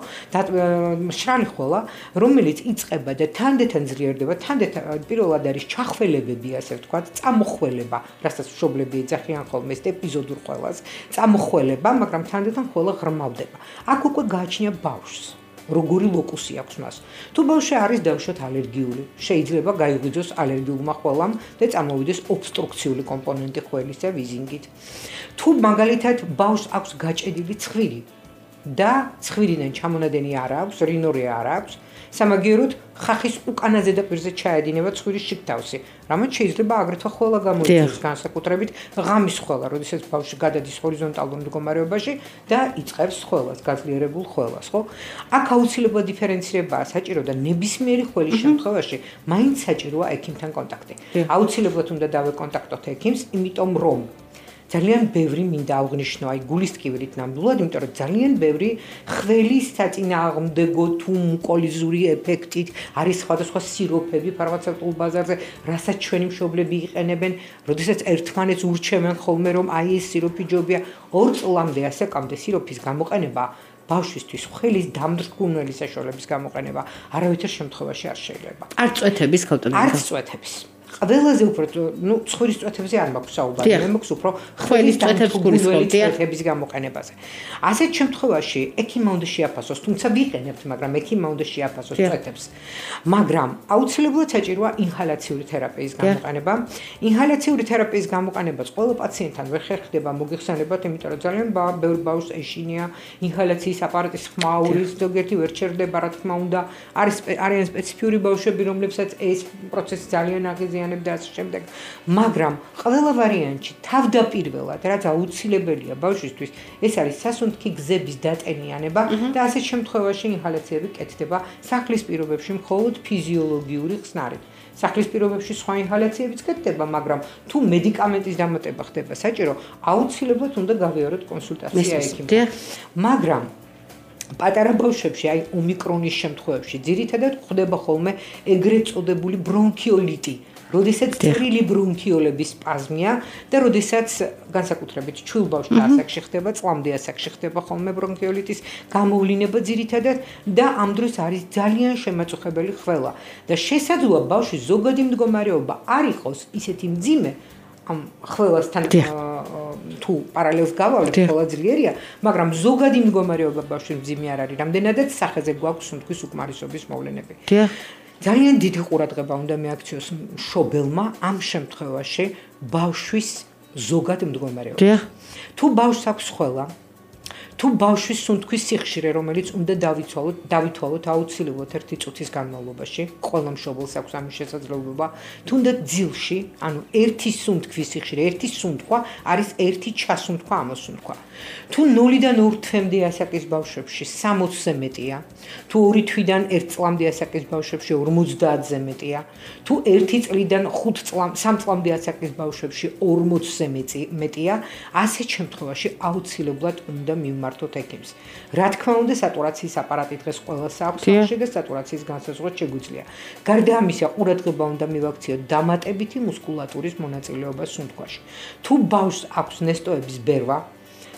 მშრალი ხველა, რომელიც იწყება და თანდათან ძლიერდება, თანდათან პირველად არის ჩახველებები, ასე ვთქვათ, წამოხველება, რასაც მშობლები ეძახიან ხოლმე ეს ეპიზოდურ ხველას, წამოხველება, მაგრამ თანდათან ხველა ღრმავდება. აქ უკვე გააჩნია ბავშვს. როგორი ლოკუსი აქვს მას. თუ ბავშვი არის დაუშვათ ალერგიული, შეიძლება გაიღვიძოს ალერგიულმა ხველამ და წამოვიდეს ობსტრუქციული კომპონენტი ხველისა ვიზინგით. თუ მაგალითად ბავშვს აქვს გაჭედილი ცხვირი და ცხვირიდან ჩამონადენი არ აქვს, რინორია არ აქვს, სამაგიეროდ ხახის უკანა ზედაპირზე ჩაედინება ცხვირის შიგთავსი. რამაც შეიძლება აგრეთვე ხველა გამოიწვიოს, განსაკუთრებით ღამის ხველა, როდესაც ბავშვი გადადის ჰორიზონტალურ მდგომარეობაში და იწყებს ხველას, გაძლიერებულ ხველას, ხო? აქ აუცილებლად დიფერენცირებაა საჭირო და ნებისმიერი ხველის შემთხვევაში მაინც საჭიროა ექიმთან კონტაქტი. აუცილებლად უნდა დავეკონტაქტოთ ექიმს, იმიტომ რომ ძალიან ბევრი მინდა აღნიშნო აი გულის ტკივილით ნამდვილად, იმიტომ რომ ძალიან ბევრი ხველის საწინააღმდეგო თუ მუკოლიზური ეფექტით არის სხვადასხვა სიროფები ფარმაცევტულ ბაზარზე, რასაც ჩვენი მშობლები იყენებენ, როდესაც ერთმანეთს ურჩევენ ხოლმე რომ აი ეს სიროფი ჯობია 2 წლამდე ასაკამდე სიროფის გამოყენება ბავშვისთვის ხველის დამრგუნველი საშუალების გამოყენება არავითარ შემთხვევაში არ შეიძლება. არც წვეთების ქალტონები. არც წვეთების. ყველაზე უფრო ცხვრის წვეთებზე არ მაქვს საუბარი, მე მაქვს უფრო ხველის წვეთების გამოყენებაზე. ასეთ შემთხვევაში ექიმმა უნდა შეაფასოს, თუმცა ვიყენებთ, მაგრამ ექიმმა უნდა შეაფასოს წვეთებს. მაგრამ აუცილებლად საჭიროა ინჰალაციური თერაპიის გამოყენება. ინჰალაციური თერაპიის გამოყენებაც ყველა პაციენტთან ვერ ხერხდება მოგეხსენებათ, იმიტომ რომ ძალიან ბევრ ბავშვს ეშინია ინჰალაციის აპარატის ხმაურის, ზოგიერთი ვერ ჩერდება, რა თქმა უნდა, არიან სპეციფიური ბავშვები, რომლებსაც ეს პროცესი ძალიან აღიზიანებდა და ასე შემდეგ. მაგრამ ყველა ვარიანტში თავდაპირველად, რაც აუცილებელია ბავშვისთვის, ეს არის სასუნთქი გზების დატენიანება და ასეთ შემთხვევაში ინჰალაციები კეთდება სახლის პირობებში მხოლოდ ფიზიოლოგიური ხსნარით. სახლის პირობებში სხვა ინჰალაციებიც კეთდება, მაგრამ თუ მედიკამენტის დამატება ხდება საჭირო, აუცილებლად უნდა გავიაროთ კონსულტაცია ექიმთან. მაგრამ პატარა ბავშვებში, აი ომიკრონის შემთხვევებში, ძირითადად ხდება ხოლმე ეგრეთ წოდებული ბრონქიოლიტი, როდესაც წვრილი ბრონქიოლების სპაზმია და როდესაც განსაკუთრებით ჩვილ ბავშვთა ასაკში ხდება, წლამდე ასაკში ხდება ხოლმე ბრონქიოლიტის გამოვლინება ძირითადად და ამ დროს არის ძალიან შემაწუხებელი ხველა და შესაძლოა ბავშვის ზოგადი მდგომარეობა არ იყოს ისეთი მძიმე ამ ხველასთან თუ პარალელს გავავლეთ, ყველა ძლიერია, მაგრამ ზოგადი მდგომარეობა ბავშვის მძიმე არ არის, რამდენადაც სახეზე გვაქვს სუნთქვის უკმარისობის მოვლენები. ძალიან დიდი ყურადღება უნდა მიაქციოს მშობელმა ამ შემთხვევაში ბავშვის ზოგად მდგომარეობა. თუ ბავშვს აქვს ხველა, თუ ბავშვის სუნთქვის სიხშირე, რომელიც უნდა დავითვალოთ აუცილებლად 1 წუთის განმავლობაში, ყველა მშობელს აქვს ამის შესაძლებლობა, თუნდაც ძილში, ანუ 1 სუნთქვის სიხშირე, 1 სუნთქვა არის 1 ჩასუნთქვა, ამოსუნთქვა. თუ 0-დან 2 თვემდე ასაკის ბავშვებში 60-ზე მეტია, თუ 2 თვიდან 1 წლამდე ასაკის ბავშვებში 50-ზე მეტია, თუ 1 წლიდან 3 წლამდე ასაკის ბავშვებში 40-ზე მეტია, ასეთ შემთხვევაში აუცილებლად უნდა მივმართოთ ექიმს. რა თქმა უნდა, სატურაციის აპარატი დღეს ყველას აქვს სახში და სატურაციის განსაზღვრა შეგვიძლია. გარდა ამისა, ყურადღება უნდა მივაქციოთ დამატებითი მუსკულატურის მონაწილეობა სუნთქვაში. თუ ბავშვს აქვს ნესტოების ბერვა,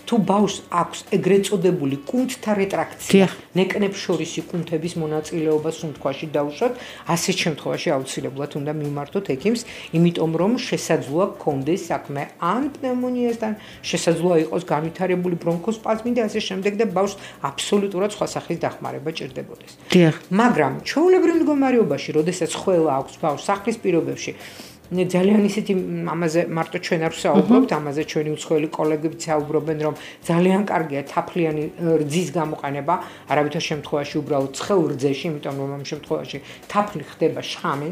თუ ბავშვს აქვს ეგრეთ წოდებული კუნთთა რეტრაქცია, ნეკნებს შორისი კუნთების მონაწილეობა სუნთქვაში დავუშვათ, ასეთ შემთხვევაში აუცილებლად უნდა მივმართოთ ექიმს, იმიტომ რომ შესაძლოა გქონდეს საქმე ან პნევმონიასთან, შესაძლოა იყოს განვითარებული ბრონქოსპაზმი და ასე შემდეგ და ბავშვს აბსოლუტურად სხვა სახის დახმარება ჭირდებოდეს. მაგრამ ჩვეულებრივ მდგომარეობაში, როდესაც ხველა აქვს ბავშვს სახლის პირობებში, ძალიან ისეთი ამაზე მარტო ჩვენ არ ვსაუბრობთ, ამაზე ჩვენი უცხოელი კოლეგები საუბრობენ, რომ ძალიან კარგია თაფლიანი რძის გამოყენება, არავითარ შემთხვევაში უბრალოდ ცხელ რძეში, იმიტომ რომ ამ შემთხვევაში თაფლი ხდება შხამი.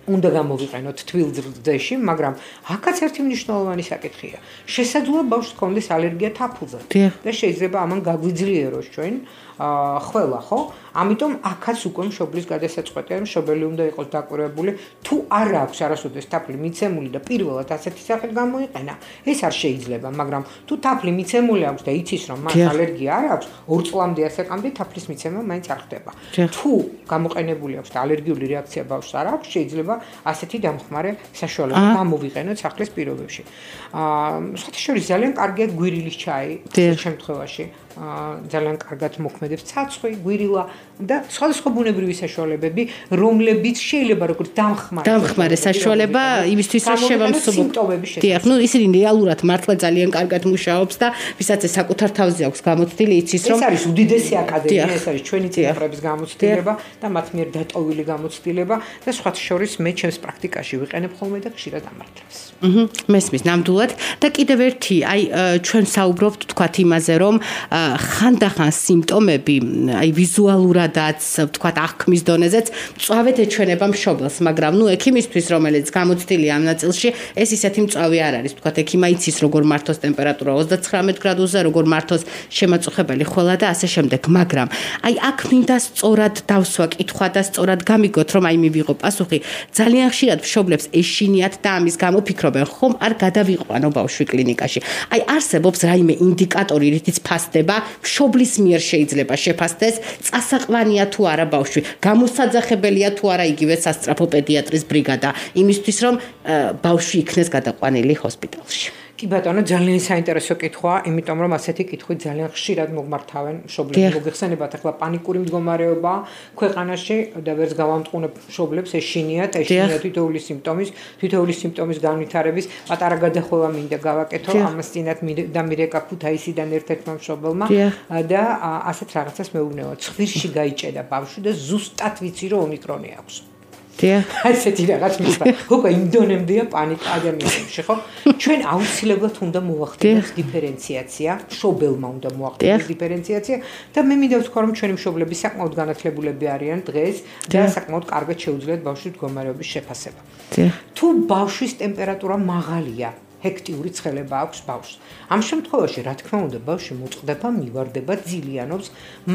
უნდა გამოვიყენოთ თბილ რძეში, მაგრამ აქაც ერთი მნიშვნელოვანი საკითხია. შესაძლოა ბავშვს ჰქონდეს ალერგია თაფლზე და შეიძლება ამან გაგვიძლიეროს ჩვენ ხველა, ხო? ამიტომ აქაც უკვე მშობლის გადასაწყვეტია, მშობელი უნდა იყოს დაკვირვებული, თუ არ აქვს არასოდეს თაფლი მიცემული და პირველად ასეთი სახით გამოიყენა, ეს არ შეიძლება, მაგრამ თუ თაფლი მიცემული აქვს და იცის რომ მას ალერგია არ აქვს, 2 წლამდე ასაკამდე თაფლის მიცემა მაინც არ ხდება. თუ გამოყენებული აქვს და ალერგიული რეაქცია ბავშვს არ აქვს, შეიძლება ასეთი დამხმარე საშუალება გამოვიყენოთ სახლის პირობებში. სხვათა შორის ძალიან კარგია გვირილის ჩაი ამ შემთხვევაში. ძალიან კარგად მოქმედებს ცაცხვი, გვირილა და სხვადასხვა ბუნებრივი საშუალებები, რომლებიც შეიძლება როგორც დამხმარე საშუალება იმისთვის რომ შევამსუბუქოთ სიმპტომების შესახებ. ისინი რეალურად მართლა ძალიან კარგად მუშაობს და ვისაც ეს საკუთარ თავზე აქვს გამოცდილი, იცის რომ ეს არის უდიდესი აკადემია, ეს არის ჩვენი წინაპრების გამოცდილება და მათ მიერ დატოვილი გამოცდილება და სხვათა შორის მე ჩემს პრაქტიკაში ვიყენებ ხოლმე და ხშირად ამართლებს. მესმის ნამდვილად და კიდევ ერთი, აი ჩვენ საუბრობთ თქვათ იმაზე, რომ ხანდახან სიმპტომები, აი ვიზუალურადაც, ვთქვათ, აღქმის დონეზეც მწვავედ ეჩვენება მშობელს, მაგრამ ექიმისთვის, რომელიც გამოცდილია ამ ნაწილში, ეს ისეთი მწვავე არ არის, ვთქვათ, ექიმა იცის როგორ მართოს ტემპერატურა 39 გრადუსზე, როგორ მართოს შემაწუხებელი ხველა და ასე შემდეგ, მაგრამ აი აქ მინდა სწორად დავსვა კითხვა და სწორად გამიგოთ, რომ აი მივიღო პასუხი. ძალიან ხშირად მშობლებს ეშინიათ და ამის გამო ფიქრობენ, ხომ არ გადავიყვანო ბავშვი კლინიკაში. აი არსებობს რაიმე ინდიკატორი, რითიც ფასდება, მშობლის მიერ შეიძლება შეფასდეს, წასაყვანია თუ არა ბავშვი, გამოსაძახებელია თუ არა იგივე სასწრაფო პედიატრის ბრიგადა, იმისთვის რომ ბავშვი იქნეს გადაყვანილი ჰოსპიტალში. კი ბატონო, ძალიან საინტერესო კითხვაა, იმიტომ რომ ასეთი კითხვით ძალიან ხშირად მოგმართავენ მშობლები. მოგეხსენებათ ახლა პანიკური მდგომარეობა ქვეყანაში და ვერც გავამტყუნებ მშობლებს, ეშინიათ თითოეული სიმპტომის განვითარების პატარა გადახვევა მინდა გავაკეთო ამას წინათ და მირეკა ქუთაისიდან ერთ-ერთმა მშობელმა და ასეთ რაღაცას მეუბნევა. ცხვირში გაიჭედა ბავშვი და ზუსტად ვიცი რომ ომიკრონი აქვს. ასეთი რაღაც მისვა. უკვე იმდონემდეა პანიკა ადამიანებში, ხო? ჩვენ აუცილებლად უნდა მოვახდინოთ დიფერენციაცია, მშობელმა უნდა მოახდინოს დიფერენციაცია და მე მინდა ვთქვა, რომ ჩვენი მშობლები საკმაოდ განათლებულები არიან დღეს და საკმაოდ კარგად შეუძლიათ ბავშვის მდგომარეობის შეფასება. თუ ბავშვის ტემპერატურა მაღალია, ჰექტიური ცხელება აქვს ბავშვს. ამ შემთხვევაში, რა თქმა უნდა, ბავშვი მოწყდება, მივარდება, ძილიანობს,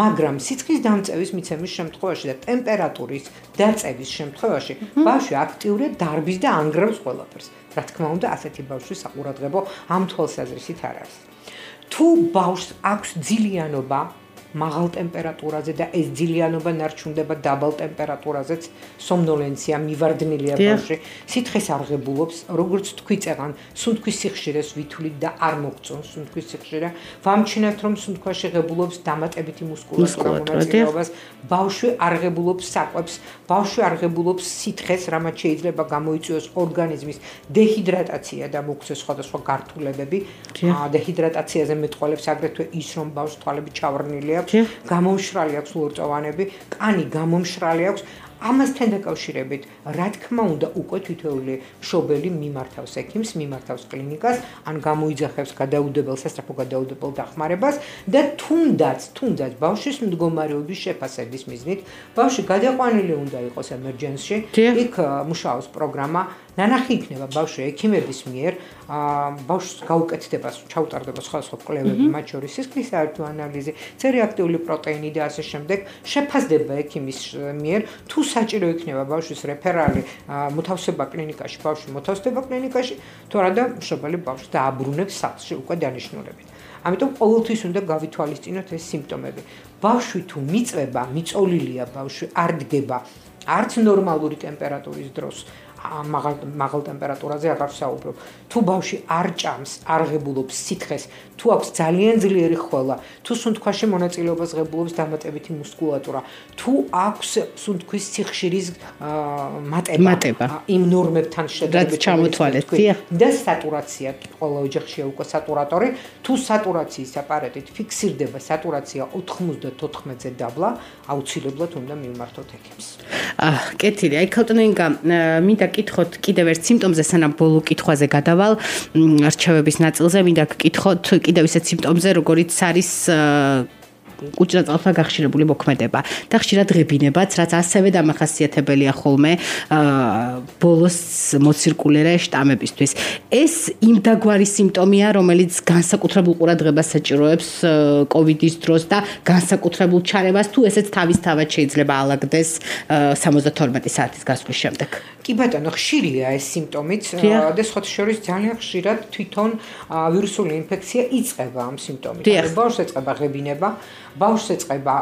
მაგრამ სიცხის დამწევის მიცემის შემთხვევაში და ტემპერატურის დაწევის შემთხვევაში, ბავშვი აქტიურად დარბის და ანგრევს ყველაფერს. რა თქმა უნდა, ასეთი ბავშვის საყურადღებო ამ თვალსაზრისით არ არის. თუ ბავშვს აქვს ძილიანობა მაღალ ტემპერატურაზე და ეს ძილიანობა ნარჩუნდება დაბალ ტემპერატურაზეც, სომნოლენცია, მივარდნილია ბავშვი, სითხეს არღებულობს, როგორც თქვი წეღან, სუნთქვის სიხშირეს ვითვლით და არ მოგწონს სუნთქვის სიხშირე. ვამჩნევთ, რომ სუნთქვაში ღებულობს დამატებითი მუსკულატურა მონაწილეობას, ბავშვი არღებულობს საკვებს, ბავშვი არღებულობს სითხეს, რამაც შეიძლება გამოიწვიოს ორგანიზმის დეჰიდრატაცია და მოგვცეს სხვადასხვა გართულებები. დეჰიდრატაციაზე მეტყველებს აგრეთვე ის, რომ ბავშვს თვალები ჩავარნილია, გამომშრალი აქვს ლორწოვანები, კანი გამომშრალი აქვს. ამასთან დაკავშირებით, რა თქმა უნდა, უკვე თითოეული მშობელი მიმართავს ექიმს, მიმართავს კლინიკას, ან გამოიძახებს გადაუდებელ სასწრაფო გადაუდებელ დახმარებას და თუნდაც ბავშვის მდგომარეობის შეფასების მიზნით, ბავშვი გადაყვანილი უნდა იყოს ემერჯენსში, იქ მუშაობს პროგრამა, ნანახი იქნება ბავშვი ექიმების მიერ, ბავშვს გაუკეთდება, ჩაუტარდება სხვადასხვა კვლევები, მათ შორის სისხლის საერთო ანალიზი, C-რეაქტიული პროტეინი და ასე შემდეგ, შეფასდება ექიმის მიერ, თუ საჭირო იქნება ბავშვის რეფერალი მოთავსება კლინიკაში, ბავშვი მოთავსდება კლინიკაში, თუ არა და მშობელი ბავშვს დააბრუნებს სახლში უკვე დანიშნულებით. ამიტომ ყოველთვის უნდა გავითვალისწინოთ ეს სიმპტომები. ბავშვი თუ მიწვება, მიწოლილია ბავშვი, არ დგება, არც ნორმალური ტემპერატურის დროს, მაღალ ტემპერატურაზე აღარ საუბრობ. თუ ბავშვი არ ჭამს, არ ღებულობს სითხეს, თუ აქვს ძალიან ძლიერი ხველა, თუ სუნთქვაში მონაწილეობას ღებულობს დამატებითი მუსკულატურა, თუ აქვს სუნთქვის სიხშირის მატება იმ ნორმებთან შედარებით ჩამოთვალეთ და სატურაცია, ყველა ოჯახშია უკვე სატურატორი, თუ სატურაციის აპარატით ფიქსირდება სატურაცია 94-ზე დაბლა, აუცილებლად უნდა მივმართოთ ექიმს. კეთილი, აი ქალტონინგა, მინდა გკითხოთ კიდევ ერთ სიმპტომზე, სანამ ბოლო კითხვაზე გადავალ, რჩევების ნაწილზე, მინდა გკითხოთ კიდევ ისეთ სიმპტომზე, როგორიც არის კუჭრაწალთან გახშირებული მოქმედება და ხშირად ღებინებაც, რაც ასევე დამახასიათებელია ხოლმე ბოლოს მოცირკულირე შტამებისთვის. ეს იმ დაგვარი სიმპტომია, რომელიც განსაკუთრებულ ყურადღებას საჭიროებს კოვიდის დროს და განსაკუთრებულ ჩარებას, თუ ესეც თავისთავად შეიძლება ალაგდეს 72 საათის გასვლის შემდეგ. კი ბატონო, ხშირია ეს სიმპტომიც და სხვათა შორის ძალიან ხშირად თვითონ ვირუსული ინფექცია იწყება ამ სიმპტომით. ბავშვს ეწყება ღებინება, ბავშვს ეწყება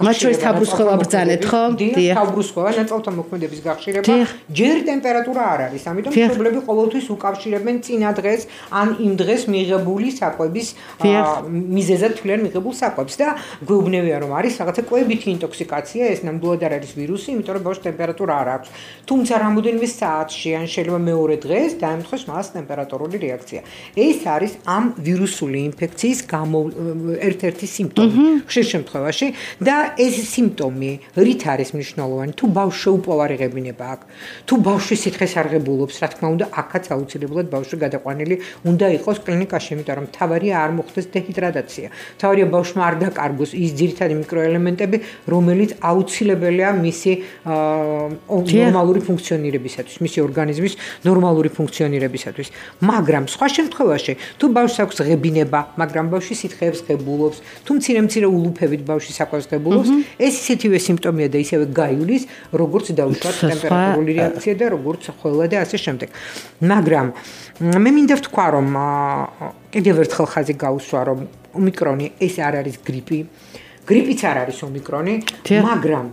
მათ შორის თავბრუსხვევა ბრძანეთ, ხო? თავბრუსხვევა, ნაწალთა მოქმედების გახშირება, ჯერ ტემპერატურა არ არის, ამიტომ მშობლები ყოველთვის უკავშირებენ წინა დღეს ან იმ დღეს მიღებული საკვების მიზეზად თვლიან მიღებულ საკვებს და გვეუბნებიან, რომ არის რაღაცა კვებითი ინტოქსიკაცია, ეს ნამდვილად არ არის ვირუსი, იმიტომ რომ ბავშვს ტემპერატურა არ აქვს. თუმცა რამოდენიმე საათში ან შეიძლება მეორე დღეს დაემთხოს მას ტემპერატურული რეაქცია. ეს არის ამ ვირუსული ინფექციის ერთ-ერთი სიმპტომი ხშირ შემთხვევაში და ეს სიმპტომი რით არის მნიშვნელოვანი? თუ ბავშვი უპოვარი ღებინება აქვს, თუ ბავშვი სითხეს არ ღებულობს, რა თქმა უნდა, აქაც აუცილებლად ბავშვი გადაყვანილი უნდა იყოს კლინიკაში, იმიტომ რომ თავარია არ მოხდეს დეჰიდრატაცია. თავარია ბავშვმა არ დაკარგოს ის ძირითადი მიკროელემენტები, რომელიც აუცილებელია მისი ნორმალური ფუნქციონირებისათვის, მისი ორგანიზმის ნორმალური ფუნქციონირებისათვის. მაგრამ სხვა შემთხვევაში, თუ ბავშვს აქვს ღებინება, მაგრამ ბავშვი სითხეებს ღებულობს, თუ მცირე ულუფებით ბავშვი საკვებს ღებულობს, ეს ისეთივე სიმპტომია და ისევე გაივლის, როგორც დაუშვათ ტემპერატურული რეაქცია და როგორც ხველა და ასე შემდეგ. მაგრამ მე მინდა ვთქვა, რომ კიდევ ერთხელ ხაზი გაუსვა, რომ ომიკრონი ეს არ არის გრიპი. გრიპიც არ არის ომიკრონი, მაგრამ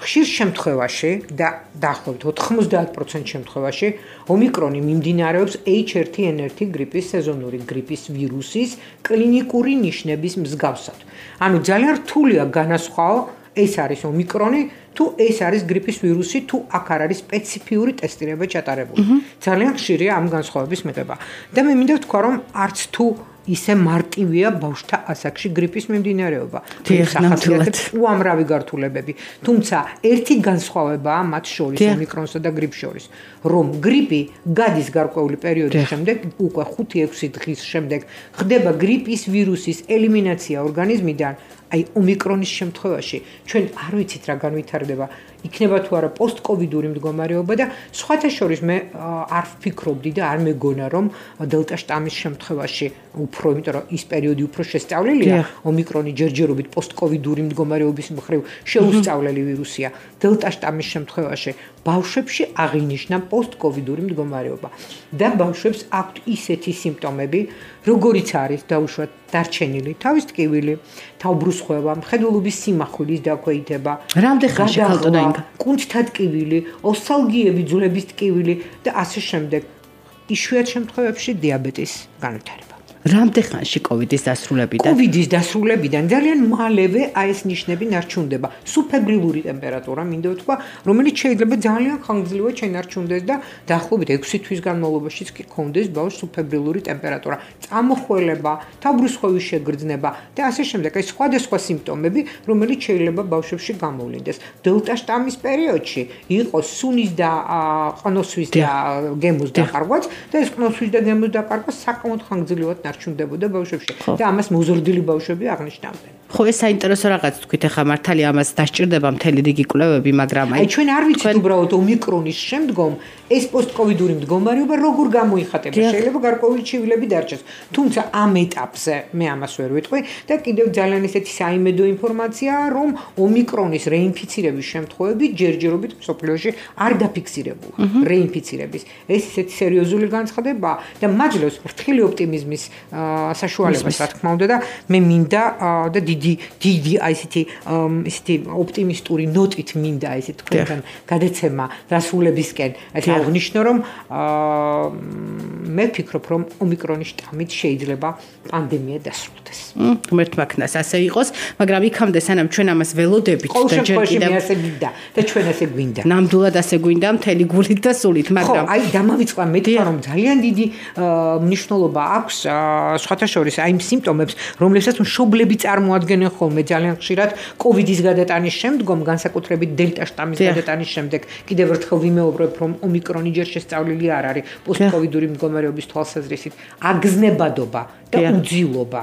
ხშირ შემთხვევაში და დაახლოებით 90% შემთხვევაში ომიკრონი მიმდინარეობს H1N1 გრიპის სეზონური გრიპის ვირუსის კლინიკური ნიშნების მსგავსად. ანუ ძალიან რთულია განასხვაო ეს არის ომიკრონი თუ ეს არის გრიპის ვირუსი თუ აქ არ არის სპეციფიური ტესტირება ჩატარებული. ძალიან ხშირია ამ განსხვავების მიღება. და მე მინდა ვთქვა, რომ არც თუ ისე მარტივია ბავშვთა ასაკში გრიპის მიმდინარეობა. ნამდვილად უამრავი გართულებები. თუმცა ერთი განსხვავებაა მათ შორის, ომიკრონსა და გრიპს შორის, რომ გრიპი გადის გარკვეული პერიოდის შემდეგ, უკვე 5-6 დღის შემდეგ ხდება გრიპის ვირუსის ელიმინაცია ორგანიზმიდან. აი ომიკრონის შემთხვევაში ჩვენ არ ვიცით რა განვითარდება, იქნება თუ არა პოსტკოვიდური მდგომარეობა და სხვათა შორის მე არ ვფიქრობდი და არ მეგონა რომ დელტა შტამის შემთხვევაში უფრო, იმიტომ რომ ის პერიოდი უფრო შესწავლილია, ომიკრონი ჯერჯერობით პოსტკოვიდური მდგომარეობის მხრივ შეუსწავლელი ვირუსია. დელტა შტამის შემთხვევაში ბავშვებში აღინიშნა პოსტკოვიდური მდგომარეობა და ბავშვებს აქვთ ისეთი სიმპტომები, როგორიც არის დაუშვათ დარჩენილი თავის ტკივილი, თავბრუსხვევა, მხედველობის სიმახვილის დაქვეითება, რამდენ ხანში ქალტონაინგა, კუნთთა ტკივილი, ოსტალგიები, ძვლების ტკივილი და ასე შემდეგ. იშვიათ შემთხვევებში დიაბეტის განვითარება. რამდენ ხანში კოვიდის დასრულებიდან? კოვიდის დასრულებიდან ძალიან მალევე აი ეს ნიშნები ნარჩუნდება. სუბფებრილური ტემპერატურა, მინდა ვთქვა, რომელიც შეიძლება ძალიან ხანგრძლივად შენარჩუნდეს და დაახლოებით 6 თვის განმავლობაშიც კი გქონდეს ბავშვს სუბფებრილური ტემპერატურა, წამოხველება, თავბრუსხვევის შეგრძნება და ასე შემდეგ. ეს სხვადასხვა სიმპტომები, რომელიც შეიძლება ბავშვებში გამოვლინდეს. დელტა შტამის პერიოდში იყო სუნის და ყნოსვის და გემოს დაკარგვაც და ეს ყნოსვის და გემოს დაკარგვა საკმაოდ ხანგრძლივად არჩუნდებოდა ბავშვებში და ამას მოზრდილი ბავშვები აღნიშნავდნენ. ხო, ეს საინტერესო რაღაც თქვით, ახლა მართალია ამას დასჭირდება მთელი რიგი კვლევები, მაგრამ აი ჩვენ არ ვიცით უბრალოდ ომიკრონის შემდგომ ეს პოსტკოვიდური მდგომარეობა როგორ გამოიხატება. შეიძლება გარკვეული ჩივილები დარჩეს. თუმცა ამ ეტაპზე მე ამას ვერ ვიტყვი და კიდევ ძალიან ისეთი საიმედო ინფორმაციაა, რომ ომიკრონის რეინფიცირების შემთხვევები ჯერჯერობით მსოფლიოში არ დაფიქსირებულა. რეინფიცირების ეს ისეთი სერიოზული განცხადებაა და მაძლევს ფრთხილი ოპტიმიზმის საშუალებას, რა თქმა უნდა და მე მინდა და დიდი აი ესეთი ოპტიმისტური ნოტით მინდა ესე თქვენთან გადაცემა დასრულებისკენ აღნიშნო, რომ მე ვფიქრობ, რომ ომიკრონის შტამით შეიძლება პანდემია დასრულდეს. ღმერთმა ქნას ასე იყოს, მაგრამ იქამდე სანამ ჩვენ ამას ველოდებით და ჯერ კიდევ ასე გინდა და ჩვენ ასე გვინდა. ნამდვილად ასე გვინდა მთელი გულით და სულით, მაგრამ აი დამავიწყდა მეთქვა, რომ ძალიან დიდი მნიშვნელობა აქვს სხვათა შორის აი იმ სიმპტომებს, რომლებსაც მშობლები წარმოადგენენ ხოლმე ძალიან ხშირად კოვიდის გადატანის შემდგომ, განსაკუთრებით დელტა შტამის გადატანის შემდეგ. კიდევ ერთხელ ვიმეობრებ, რომ ომიკრონი ჯერ შესწავლილი არ არის პოსტკოვიდური მდგომარეობის თვალსაზრისით, აგზნებადობა და უძილობა.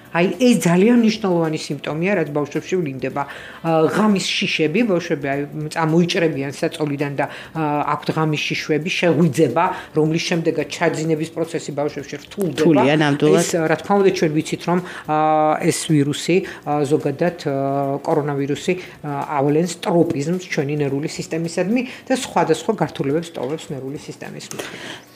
აი ეს ძალიან მნიშვნელოვანი სიმპტომია, რაც ბავშვებში ვლინდება. ღამის შიშები, ბავშვები აი წამოიჭრებიან საწოლიდან და აქვთ ღამის შიშვები, შეღვიძება, რომლის შემდეგაც ჩაძინების პროცესი ბავშვებში რთულდება. ეს რა თქმა უნდა ჩვენ ვიცით, რომ ეს ვირუსი ზოგადად კორონავირუსი ავლენს ტროპიზმს ჩვენი ნერვული სისტემისადმი და სხვადასხვა გართულებებს ტოვებს ნერვული სისტემის მიერ.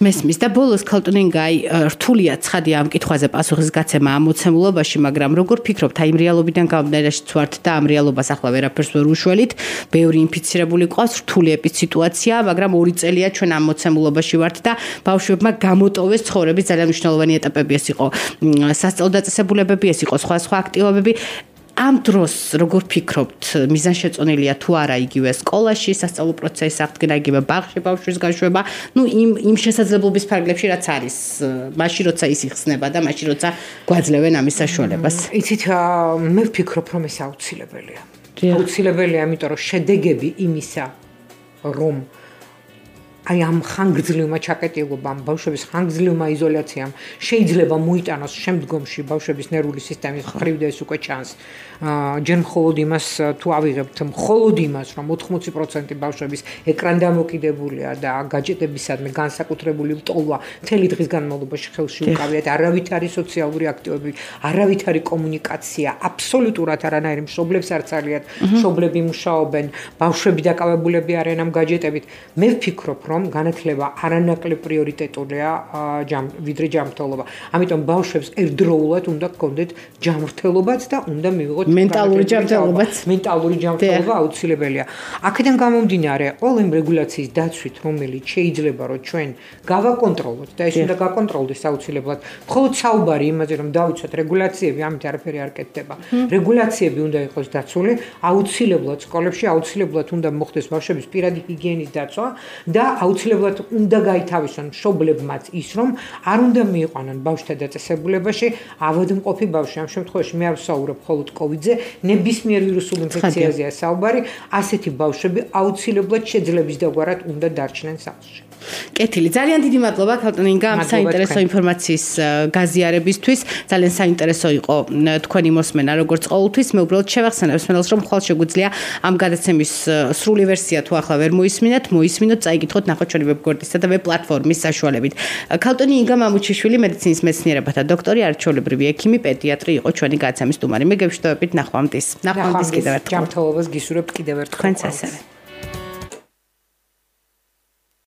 მესმის და ბოლოს ქალტონინგა აი რთულია ცხადია ამ კითხვაზე პასუხის გაცემა ამოცემულობა, მაგრამ როგორ ფიქრობთ, აი რეალობიდან გამომდინარეშიც ვართ და ამ რეალობას ახლა ვერაფერს ვერ უშველით, ბევრი ინფიცირებული ყავს, რთული ეპიდსიტუაცია, მაგრამ 2 წელია ჩვენ ამ მოცემულობაში ვართ და ბავშვებმა გამოტოვეს ცხოვრების ძალიან მნიშვნელოვანი ეტაპები, ეს იყო სასწავლო დაწესებულებები, ეს იყო სხვა აქტივობები. ამ დროს როგორ ფიქრობთ, მიზანშეწონილია თუ არა იგივე სკოლაში სასწავლო პროცესი აღდგენა, იგივე ბაღში ბავშვის გაშვება, იმ შესაძლებლობის ფარგლებში რაც არის, მაშინ როცა ის იხსნება და მაშინ როცა გვაძლევენ ამის საშუალებას. იცით, მე ვფიქრობ, რომ ეს აუცილებელია. აუცილებელია, იმიტომ რომ შედეგები იმისა, რომ აი ამ ხანგრძლივმა ჩაკეტილობამ, ბავშვების ხანგრძლივმა იზოლაციამ შეიძლება მოიტანოს შემდგომში ბავშვების ნერვული სისტემის მხრივ და ეს უკვე ჩანს. ჯერ მხოლოდ იმას თუ ავიღებთ, მხოლოდ იმას, რომ 80% ბავშვების ეკრან დამოკიდებულია და გაჯეტებისადმი განსაკუთრებული ლტოლვა მთელი დღის განმავლობაში ხელში უკავიათ, არავითარი სოციალური აქტივობები, არავითარი კომუნიკაცია, აბსოლუტურად არანაირი მშობლებს არ ცალიათ, მშობლები მუშაობენ, ბავშვები დაკავებულები არიან ამ გაჯეტებით. მე ვფიქრობ, რომ განათლება არანაკლებ პრიორიტეტულია ვიდრე ჯანმრთელობა. ამიტომ ბავშვებს ერთდროულად უნდა გქონდეთ ჯანმრთელობაც და უნდა მივიღოთ მენტალური ჯანმრთელობაც. მენტალური ჯანმრთელობა აუცილებელია. აქედან გამომდინარე, ყველა იმ რეგულაციის დაცვით, რომელიც შეიძლება რომ ჩვენ გავაკონტროლოთ და ეს უნდა გაკონტროლდეს აუცილებლად. მხოლოდ საუბარი იმაზე, რომ დავიცვათ რეგულაციები, ამით არაფერი არ კეთდება. რეგულაციები უნდა იყოს დაცული, აუცილებლად სკოლებში აუცილებლად უნდა მოხდეს ბავშვების პირადი ჰიგიენის დაცვა და აუცილებლად უნდა გაითავისონ მშობლებმაც ის, რომ არ უნდა მიიყვანონ ბავშვთა დაწესებულებაში ავადმყოფი ბავშვი. ამ შემთხვევაში მე არ ვსაუბრობ მხოლოდ COVID-ზე, ნებისმიერ ვირუსულ ინფექციაზეა საუბარი, ასეთი ბავშვები აუცილებლად შეძლების დაგვარად უნდა დარჩნენ სახლში. კეთილი, ძალიან დიდი მადლობა ქალბატონ ინგა ამ საინტერესო ინფორმაციის გაზიარებისთვის. ძალიან საინტერესო იყო თქვენი მოსმენა როგორც ყოველთვის. მე უბრალოდ შევახსენებ მსმენელს, რომ მხოლოდ შეგვიძლია ამ გადაცემის სრული ვერსია თუ ახლა ვერ მოისმინეთ, მოისმინოთ, წაიკითხოთ, ნახოთ ჩვენი ვებგვერდისა და ვებ პლატფორმის საშუალებით. ქალბატონი ინგა მამუჩიშვილი, მედიცინის მეცნიერებათა დოქტორი, არჩეულებრივი ექიმი, პედიატრი იყო ჩვენი გადაცემის სტუმარი. მე გევშտოებით ნახვამდის. ნახვამდის კიდევ ერთხელ. ჯანმრთელობას გისურვებთ კიდევ ერთხელ. თქვენც ასევე.